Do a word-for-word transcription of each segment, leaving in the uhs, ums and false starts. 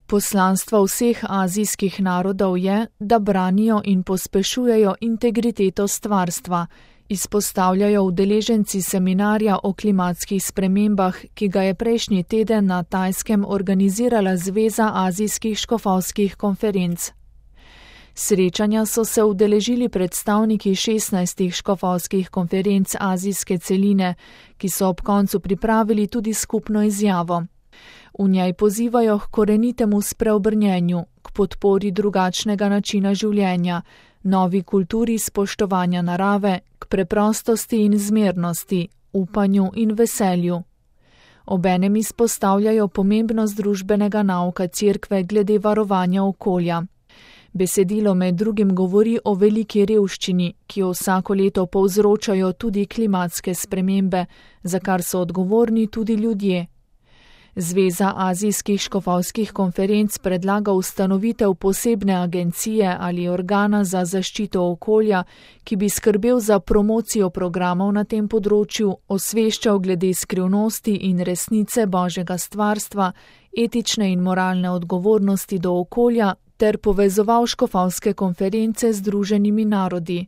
Poslanstvo vseh azijskih narodov je, da branijo in pospešujejo integriteto stvarstva, izpostavljajo udeleženci seminarja o klimatskih spremembah, ki ga je prejšnji teden na Tajskem organizirala Zveza azijskih škofovskih konferenc. Srečanja so se udeležili predstavniki šestnajstih škofovskih konferenc azijske celine, ki so ob koncu pripravili tudi skupno izjavo. V njej pozivajo k korenitemu spreobrnjenju, k podpori drugačnega načina življenja, novi kulturi spoštovanja narave, k preprostosti in zmernosti, upanju in veselju. Obenem izpostavljajo pomembnost družbenega nauka Cerkve glede varovanja okolja. Besedilo med drugim govori o veliki revščini, ki jo vsako leto povzročajo tudi klimatske spremembe, za kar so odgovorni tudi ljudje. Zveza azijskih škofovskih konferenc predlaga ustanovitev posebne agencije ali organa za zaščito okolja, ki bi skrbel za promocijo programov na tem področju, osveščal glede skrivnosti in resnice Božjega stvarstva, etične in moralne odgovornosti do okolja ter povezoval škofovske konference z Združenimi narodi.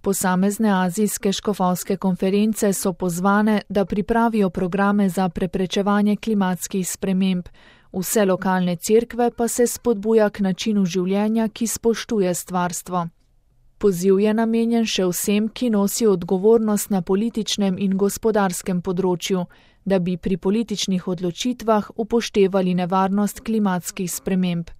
Posamezne azijske škofovske konference so pozvane, da pripravijo programe za preprečevanje klimatskih sprememb, vse lokalne cerkve pa se spodbuja k načinu življenja, ki spoštuje stvarstvo. Poziv je namenjen še vsem, ki nosijo odgovornost na političnem in gospodarskem področju, da bi pri političnih odločitvah upoštevali nevarnost klimatskih sprememb.